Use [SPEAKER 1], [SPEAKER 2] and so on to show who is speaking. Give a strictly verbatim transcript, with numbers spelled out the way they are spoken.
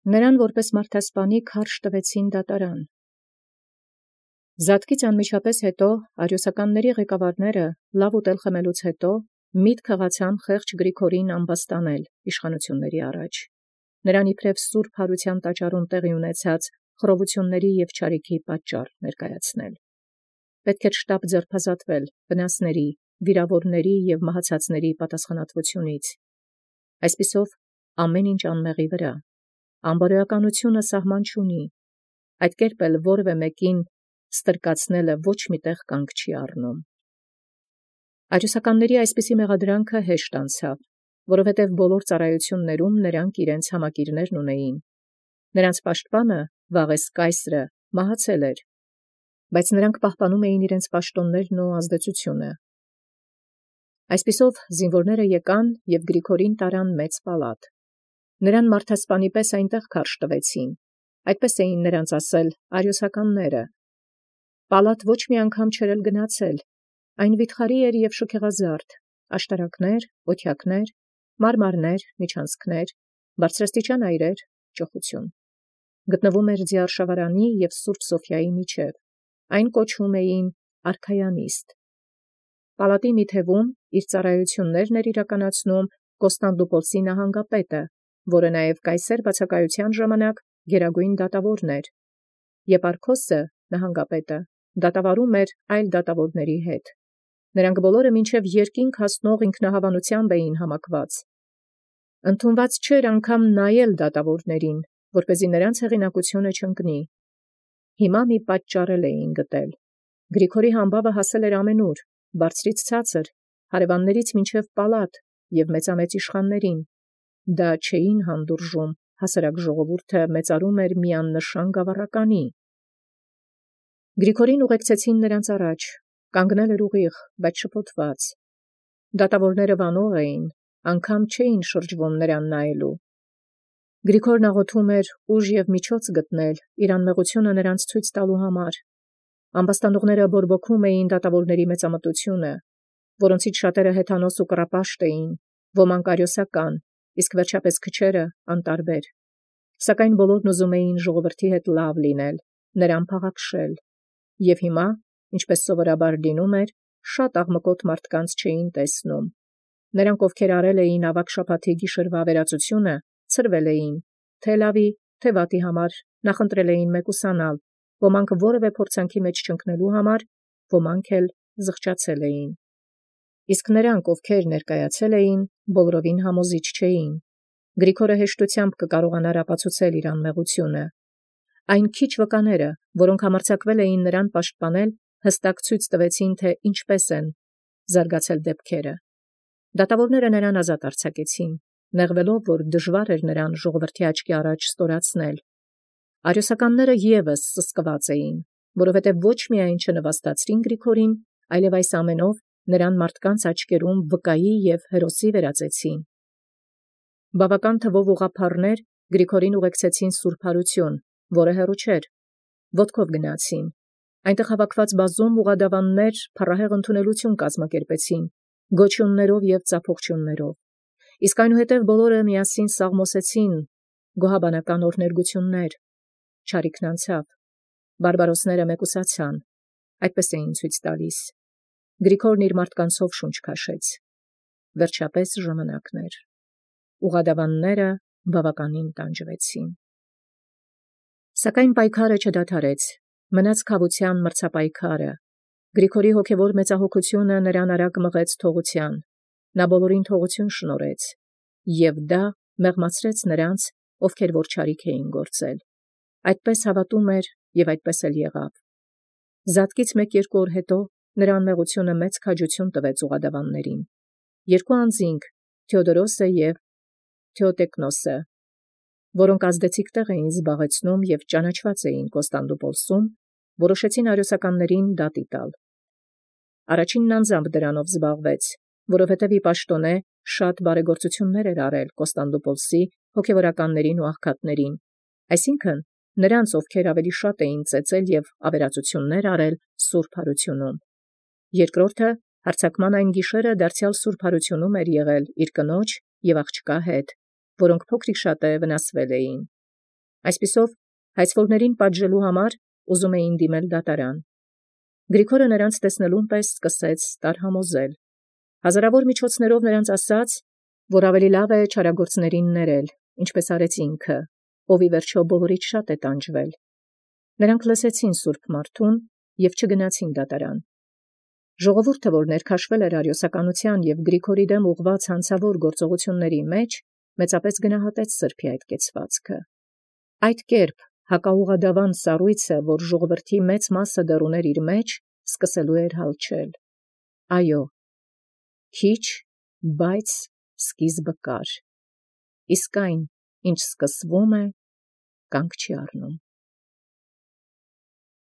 [SPEAKER 1] Նրան որպես մարդասպանի քարշ տվեցին դատարան։ Զատկից անմիջապես հետո արիոսականների ղեկավարները լավ ուտել խմելուց հետո միտք հղացան խեղճ Գրիգորին ամբաստանել իշխանությունների առաջ։ Նրան իբրև սուրբ հարության տաճարում տեղի ունեցած խռովությունների և չարիքի պատճառ ներկայացնել։ Պետք էր շտապ ձերբազատվել վնասների, վիրավորների և մահացածների պատասխանատվությունից։ Այսպիսով ամեն ինչ անմեղի վրա։ Անբարոյականությունը սահման չունի, այդ կերպ էլ որևէ մեկին ստրկացնելը ոչ մի տեղ կանգ չի առնում։ Արիոսականների այսպիսի մեղադրանքը հեշտ անցավ, որովհետև բոլոր ծառայություններում նրանք իրենց համակիրներն ունեին։ Նրանց պաշտպանը Վաղես կայսրը մահացել էր, բայց նրանք պահպանում էին իրենց պաշտոններն ու ազդեցությունը։ Այսպիսով զինվորները եկան և Գրիգորին տարան մեծ պալատ։ Նրան մարդասպանի պես այնտեղ քարշ տվեցին, այդպես էին նրանց ասել արիոսականները։ Պալատ ոչ մի անգամ չէր էլ գնացել, այն վիթխարի էր և շքեղազարդ, աշտարակներ, օթյակներ, մարմարներ, միջանցքներ, բարձրաստիճան այրեր, ճոխություն։ Գտնվում էր Ձիարշավարանի և Սուրբ Սոֆիայի միջև, այն կոչում էին արքայանիստ։ Պալատի մի թևում իր ծառայություններն էր իրականացնում Կոստանդնուպոլսի նահանգապետը, որը նաև կայսեր բացակայության ժամանակ գերագույն դատավորն էր, Եպարքոսը նահանգապետը դատավարում էր այլ դատավորների հետ։ Նրանք բոլորը մինչև երկինք հասնող ինքնահավանությամբ էին համակված։ Ընդունված չէր անգամ նայել դատավորներին, որպեսզի նրանց հեղինակությունը չընկնի։ Հիմա մի պատճառ էին գտել։ Գրիգորի համբավը հասել էր ամենուր, բարձրից ցածր, հարևաններից մինչև պալատ և մեծամեծ իշխաններին։ Դա չէին հանդուրժում, հասարակ ժողովուրդը մեծարում էր մի աննշան գավառականի։ Գրիգորին ուղեկցեցին նրանց առաջ, կանգնել էր ուղիղ, բայց շփոթված։ Դատավորները վանող էին, անգամ չէին շրջվում նրան նայելու։ Գրիգորն աղոթում էր ուժ և միջոց գտնել իր անմեղությունը նրանց ցույց տալու համար։ Ամբաստանողները բորբոքում էին դատավորների մեծամտությունը, որոնցից շատերը հեթանոս ու կռապաշտ էին, ոմանք արիոսական, իսկ վերջապես քչերը անտարբեր։ Սակայն բոլորն ուզում էին ժողովրդի հետ լավ լինել, նրան փաղաքշել։ Եվ հիմա, ինչպես սովորաբար լինում էր, շատ աղմկոտ մարդկանց չէին տեսնում։ Նրանք, ովքեր արել էին ավագ շաբաթի գիշերվա ավերածությունը, ցրվել էին, թե լավի, թե վատի համար նախընտրել էին մեկուսանալ, ոմանք որևէ փորձանքի մեջ չընկնելու համար, ոմանք էլ զղջացել էին։ Իսկ նրանք, ովքեր ներկայացել էին, բոլորովին համոզիչ չէին։ Գրիգորը հեշտությամբ կկարողանար ապացուցել իր անմեղությունը։ Այն քիչ վկաները, որոնք համարձակվել էին նրան պաշտպանել, հստակ ցույց տվեցին, թե ինչպես են զարգացել դեպքերը։ Դատավորները նրան ազատ արձակեցին, նեղվելով, որ դժվար էր նրան ժողովրդի աչքի առաջ ստորացնել։ Արիոսականները ևս սսկված էին, որովհետև ոչ միայն չնվաստացրին Գրիգորին, այլև այս ամենով նրան մարդկանց աչքերում վկայի և հերոսի վերածեցին։ Բավական թվով ուղղափառներ Գրիգորին ուղեկցեցին Սուրբ Հարություն, որը հեռու չէր, ոտքով գնացին։ Այնտեղ հավաքված բազում ուղղադավաններ փառահեղ ընդունելություն կազմակերպեցին, գոչյուններով և ծափողջույններով։ Իսկ այնուհետև բոլորը միասին սաղմոսեցին գոհաբանական օրհներգություններ։ Չարիքն անցավ, բարբարոսները մեկուսացան, այդպես էին ցույց տալիս։ Գրիգորն իր մարդկանցով շունչ քաշեց։ Վերջապես ժամանակն էր։ Ուղղադավանները բավականին տանջվեցին։ Սակայն պայքարը չդադարեց, մնաց քավության մրցապայքարը։ Գրիգորի հոգևոր մեծահոգությունը նրան արագ մղեց թողության։ Նա բոլորին թողություն շնորհեց, և դա մեղմացրեց նրանց, ովքեր որ չարիք էին գործել։ Այդպես հավատում էր և այդպես էլ եղավ։ Զատկից մեկ-երկու օր հետո նրա անմեղությունը մեծ քաջություն տվեց ուղղադավաններին։ Երկու անձինք, Թեոդորոսը և Թեոտեկնոսը, որոնք ազդեցիկ տեղ էին զբաղեցնում և ճանաչված էին Կոստանդնուպոլսում, որոշեցին արիոսականներին դատի տալ։ Առաջինն անձամբ դրանով զբաղվեց, որովհետև ի պաշտոնե շատ բարեգործություններ էր արել Կոստանդնուպոլսի հոգևորականներին ու աղքատներին, այսինքն նրանց, ովքեր ավելի շատ էին ծեծել և ավերածություններ արել Սուրբ Հարությունում։ Երկրորդը հարձակման այն գիշերը դարձյալ Սուրբ Հարությունում էր եղել իր կնոջ և աղջկա հետ, որոնք փոքրիկ-շատ վնասվել էին։ Այսպիսով հայցվորներին պատժելու համար ուզում էին դիմել դատարան։ Գրիգորը նրանց տեսնելուն պես սկսեց տարհամոզել։ Հազարավոր միջոցներով նրանց ասաց, որ ավելի լավ է չարագործներին ներել, ինչպես արեց ինքը, ով ի վերջո բոլորից շատ է տանջվել։ Նրանք լսեցին սուրբ մարդուն և չգնացին դատարան։ Ժողովուրդը, որ ներքաշվել էր արիոսականության և Գրիգորի դեմ ուղղված հանցավոր գործողությունների մեջ, մեծապես գնահատեց սրբոյ այդ կեցվածքը։ Այդ կերպ հակաուղղադավան սառույցը, որ ժողովրդի մեծ մասը դեռ ուներ իր մեջ, սկսելու էր հալչել։ Այո, քիչ, բայց սկիզբը կար։ Իսկ այն, ինչ սկսվում է, կանգ չի առնում։